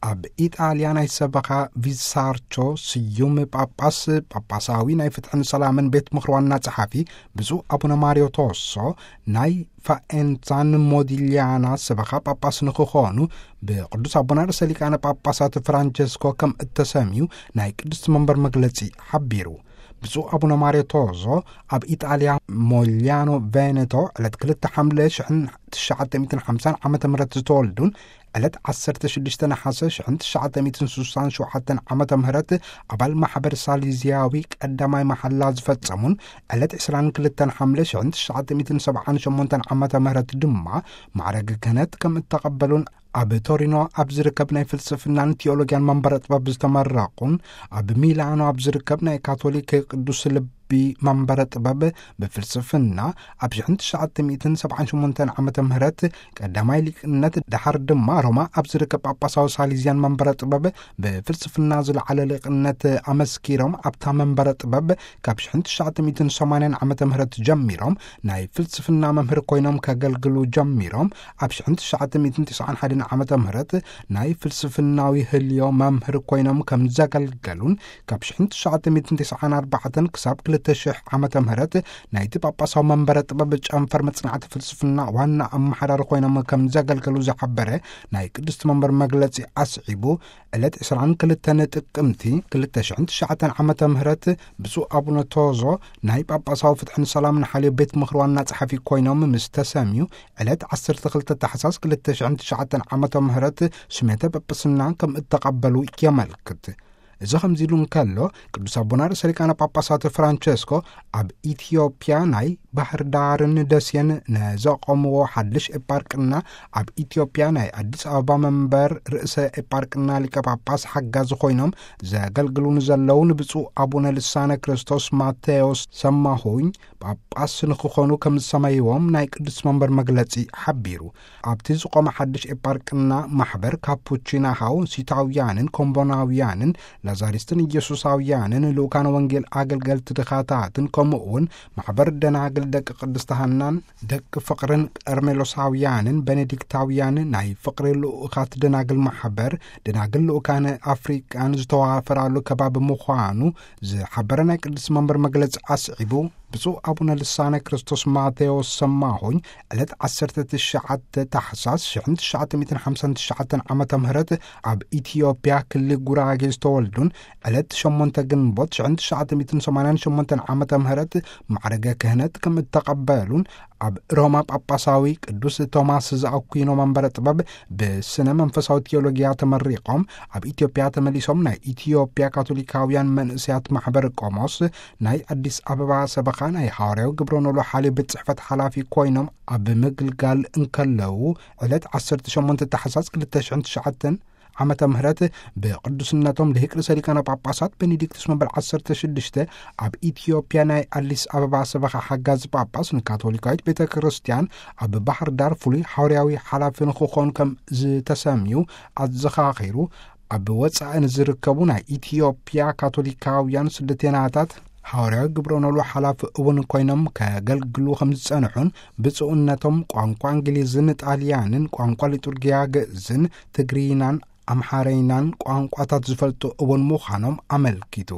ኣብ ኢጣልያ ናይ ሰበኻ ቪሳርቾ ስዩም ጳጳስ፣ ጳጳሳዊ ናይ ፍትሕን ሰላምን ቤት ምኽሪ ዋና ጸሓፊ ብፁዕ ኣቡነ ማርዮ ቶሶ፣ ናይ ፋኤንሳን ሞዲሊያና ሰበኻ ጳጳስ ንክኾኑ ብቅዱስ ኣቡነ ርእሰ ሊቃነ ጳጳሳት ፍራንቸስኮ ከም እተሰምዩ ናይ ቅድስቲ መንበር መግለጺ ሓቢሩ። ብፁዕ ኣቡነ ማርዮ ቶዞ ኣብ ኢጣልያ ሞሊያኖ ቬኔቶ ዕለት ክልተ ሓምለ ሽሕን ትሽዓተ ሚእትን ሓምሳን ዓመተ ምህረት ዝተወልዱን ዕለት ዓሰርተ ሽዱሽተ ነሓሰ ሽሕን ትሽዓተ ሚእትን ስሳን ሸውዓተን ዓመተ ምህረት ኣባል ማሕበር ሳሊዝያዊ ቀዳማይ መሓላ ዝፈጸሙን ዕለት ዕስራን ክልተን ሓምለ ሽሕን ትሽዓተ ሚእትን ሰብዓን ሸሞንተን ዓመተ ምህረት ድማ ማዕረገ ክህነት ከም እተቐበሉን ኣብ ቶሪኖ ኣብ ዝርከብ ናይ ፍልስፍናን ቲዮሎጊያን መንበረ ጥበብ ዝተመረቑን ኣብ ሚላኖ ኣብ ዝርከብ ናይ ካቶሊክ ቅዱስ ልቢ መንበረ ጥበብ ብፍልስፍና ኣብ ሽሕን ትሽዓተ ሚእትን ሰብዓን ሸሞንተን ዓመተ ምህረት ቀዳማይ ሊቅነት፣ ደሓር ድማ ሮማ ኣብ ዝርከብ ጳጳሳዊ ሳሊዝያን መንበረ ጥበብ ብፍልስፍና ዝለዓለ ሊቅነት ኣመስኪሮም፣ ኣብታ መንበረ ጥበብ ካብ ሽሕን ትሽዓተ ሚእትን ሰማንያን ዓመተ ምህረት ጀሚሮም ናይ ፍልስፍና መምህር ኮይኖም ከገልግሉ ጀሚሮም፣ ኣብ ሽሕን ትሽዓተ ሚእትን ትስዓን ሓደን ዓመተ ምህረት ናይ ፍልስፍናዊ ህልዮ መምህር ኮይኖም ከም ዘገልገሉን፣ ካብ ሽሕን ትሽዓተ ሚእትን ትስዓን ኣርባዕተን ክሳብ ክልተ ሽሕ ዓመተ ምህረት ናይቲ ጳጳሳዊ መንበረ ጥበብ ጨንፈር መጽናዕቲ ፍልስፍና ዋና ኣመሓዳሪ ኮይኖም ከም ዘገልገሉ ዝሓበረ ናይ ቅድስቲ መንበር መግለጺ ኣስዒቡ፣ ዕለት ዕስራን ክልተን ጥቅምቲ ክልተ ሽሕን ትሽዓተን ዓመተ ምህረት ብፁዕ ኣቡነ ቶዞ ናይ ጳጳሳዊ ፍትሕን ሰላምን ሓልዮ ቤት ምኽሪ ዋና ጸሓፊ ኮይኖም ምስ ተሰምዩ፣ ዕለት ዓሰርተ ክልተ ታሕሳስ ክልተ ሽሕን ትሽዓተን ዓመተ ምህረት ስሜተ ጳጳስና ከም እተቐበሉ የመልክት። እዚ ከምዚ ኢሉ እንከሎ፣ ቅዱስ ኣቦና ርእሰ ሊቃነ ጳጳሳት ፍራንቸስኮ ኣብ ኢትዮጵያ ናይ ባህር ዳርን ደሴን ነዘቆምዎ ሓድሽ ኤጳርቅና፣ ኣብ ኢትዮጵያ ናይ ኣዲስ ኣበባ መንበር ርእሰ ኤጳርቅና ሊቀ ጳጳስ ሓጋዚ ኮይኖም ዘገልግሉ ንዘለዉ ንብፁዕ ኣቡነ ልሳነ ክርስቶስ ማቴዎስ ሰማሁኝ ጳጳስ ንክኾኑ ከም ዝሰመይዎም ናይ ቅዱስ መንበር መግለጺ ሓቢሩ። ኣብቲ ዝቆመ ሓድሽ ኤጳርቅና ማሕበር ካፑቺናሃው ሲታውያንን ኮምቦናውያንን ላዛሪስትን ኢየሱሳውያንን ልኡካነ ወንጌል ኣገልገልቲ ድኻታትን ከምኡ እውን ማሕበር ደናግል ደቂ ቅድስቲ ሃናን ደቂ ፍቕርን ቀርሜሎሳውያንን ቤኔዲክታውያን ናይ ፍቕሪ ልኡኻት ደናግል ማሕበር ደናግል ልኡካነ ኣፍሪቃን ዝተዋፈራሉ ከባቢ ምዃኑ ዝሓበረ ናይ ቅዱስ መንበር መግለጺ ኣስዒቡ፣ ብፁዕ ኣቡነ ልሳነ ክርስቶስ ማቴዎስ ሰማሆኝ ዕለት ዓሰርተ ትሽዓተ ታሕሳስ ሽሕን ትሽዓተ ሚእትን ሓምሳን ትሽዓተን ዓመተ ምህረት ኣብ ኢትዮጵያ ክልል ጉራጌ ዝተወልዱን ዕለት ሸሞንተ ግንቦት ሽሕን ትሽዓተ ሚእትን ሰማንያን ሸሞንተን ዓመተ ምህረት ማዕረገ ክህነት ከም እተቐበሉን ኣብ ሮማ ጳጳሳዊ ቅዱስ ቶማስ ዘኣኩይኖ መንበረ ጥበብ ብስነ መንፈሳዊ ቲዮሎጊያ ተመሪቖም ኣብ ኢትዮጵያ ተመሊሶም ናይ ኢትዮጵያ ካቶሊካውያን መንእሰያት ማሕበር ቆሞስ ናይ ኣዲስ ኣበባ ሰበኻ ናይ ሃዋርያዊ ግብረ ኖሎ ሓልዮ ቤት ጽሕፈት ሓላፊ ኮይኖም ኣብ ምግልጋል እንከለዉ ዕለት ዓሰርተ ሸሞንተ ታሕሳስ ክልተ ሽሕን ትሽዓተን ዓመተ ምህረት ብቅዱስነቶም ልሂቅ ርእሰ ሊቃነ ጳጳሳት ቤኔዲክቱስ መበል ዓሰርተ ሽዱሽተ ኣብ ኢትዮጵያ ናይ ኣዲስ ኣበባ ሰበኻ ሓጋዚ ጳጳስ ንካቶሊካዊት ቤተ ክርስቲያን ኣብ ባህር ዳር ፍሉይ ሓዋርያዊ ሓላፊ ንክኾኑ ከም ዝተሰምዩ ኣዘኻኺሩ፣ ኣብ ወጻኢ ንዝርከቡ ናይ ኢትዮጵያ ካቶሊካውያን ስደተናታት ሓዋርያዊ ግብረ ኖሎ ሓላፊ እውን ኮይኖም ከገልግሉ ከም ዝጸንሑን ብፁዕነቶም ቋንቋ እንግሊዝን ጣልያንን ቋንቋ ሊጡርጊያ ግእዝን ትግርይናን ኣምሓረይናን ቋንቋታት ዝፈልጡ እውን ምዃኖም ኣመልኪቱ።